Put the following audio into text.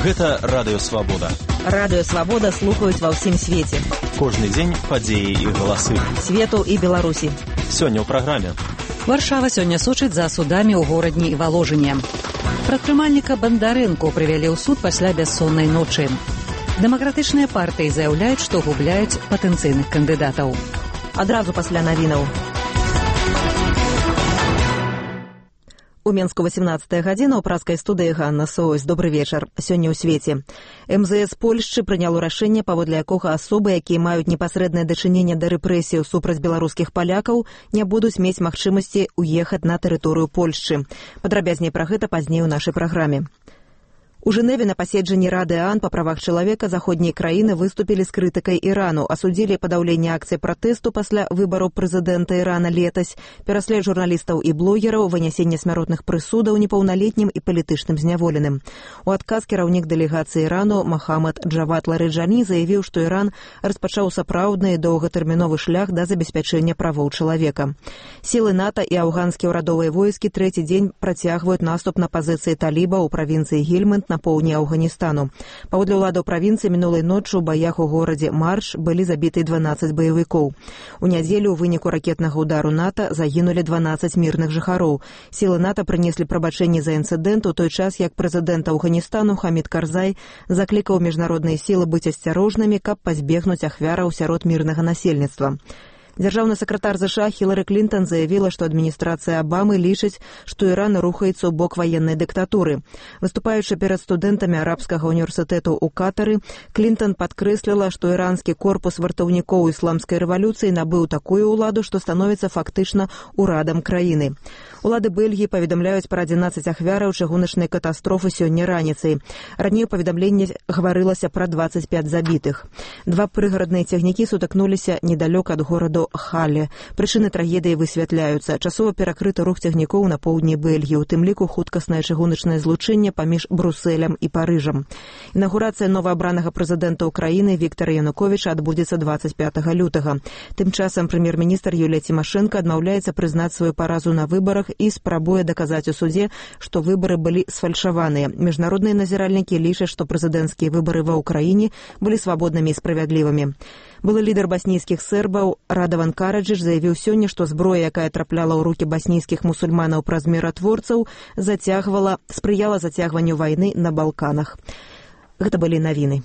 Гэта Радыё Свабода. Радыё Свабода слухаюць ва ўсім свеце. Кожны дзень падзеі і галасы. Свету і Беларусі. Сёння ў праграме. Варшава сёння сочыць за судамі ў горадні і Валожыне. Прадпрымальніка Бандарэнку прывялі ў суд пасля бяссоннай ночы. Дэмакратычныя партыі заяўляюць, што губляюць патэнцыйных кандыдатаў. Адразу пасля навінаў. У Менску 18 гадзіна ў праскай студыі Ганна Соось. Добры вечар. Сёння ў свеце. МЗС Польшчы прыняло рашэнне, паводле якога асобы, якія маюць непасрэднае дачыненне да рэпрэсіяў супраць беларускіх палякаў, не будуць мець магчымасці ўехаць на тэрыторыю Польшчы. Падрабязней пра гэта пазней у нашай праграме. У Жэневе на паседжанні Рады ААН па правах чалавека заходнія краіны выступілі з крытыкай Ірану, асудзілі падаўленне акцый пратэсту пасля выбараў прэзідэнта Ірана летась, пераслед журналістаў і блогераў, вынясенне смяротных прысудаў непаўналетнім і палітычным зняволеным. У адказ кіраўнік дэлегацыі Ірану Махамад Джавад Ларыджані заявіў, што Іран распачаў сапраўдны і доўгатэрміновы шлях да забеспячэння правоў чалавека. Сілы НАТО і афганскія ўрадовыя войскі трэці дзень працягваюць наступ на пазіцыі таліба ў правінцыі Гельманд на поўдні Афганістану. Паводле ўладаў правінцыі мінулай ноччу ў баях у горадзе Марш былі забіты 12 баевікоў. У нядзелю ў выніку ракетнага удару НАТО загінулі 12 мірных жыхароў. Сілы НАТО прынеслі прабачэнне за інцыдэнт у той час, як прэзідэнт Афганістану Хамід Карзай заклікаў міжнародныя сілы быць асцярожнымі, каб пазбегнуць ахвяраў сярод мірнага насельніцтва. Дзяржаўны сакратар ЗША Хілары Клінтон заявіла, што адміністрацыя Абамы лічыць, што Іран рухаецца ў бок ваеннай дыктатуры. Выступаючы перад студэнтамі арабскага універсітэту ў Катары, Клінтон падкрэсліла, што іранскі корпус вартаўнікоў ісламскай рэвалюцыі набыў такую ўладу, што становіцца фактычна ўрадам краіны. Улады Бельгіі паведамляюць пра 11 ахвяраў чыгуначнай катастрофы сёння раніцай. Раней у паведамленні гаварылася пра 25 забітых. Два прыгарадныя цягнікі сутыкнуліся недалёк ад гораду Хале. Прычыны трагедыі высвятляюцца. Часова перакрыты рух цягнікоў на поўдні Бельгіі, у тым ліку хуткаснае чыгуначнае злучэнне паміж Брусэлем і Парыжам. Інаўгурацыя новаабранага прэзідэнта ўкраіны Віктара Януковіча адбудзецца 25 лютага. Тым часам прэм'ер-міністр Юлія Цімашэнка адмаўляецца прызнаць сваю паразу на выбарах і спрабуе даказаць у судзе, што выбары былі сфальшаваныя. Міжнародныя назіральнікі лічаць, што прэзідэнцкія выбары ва ўкраіне былі свабоднымі і справядлівымі. Былы лідар баснійскіх сербаў Радаван Караджыч заявіў сёння, што зброя, якая трапляла ў рукі баснійскіх мусульманаў праз міратворцаў, спрыяла зацягванню вайны на Балканах. Гэта былі навіны.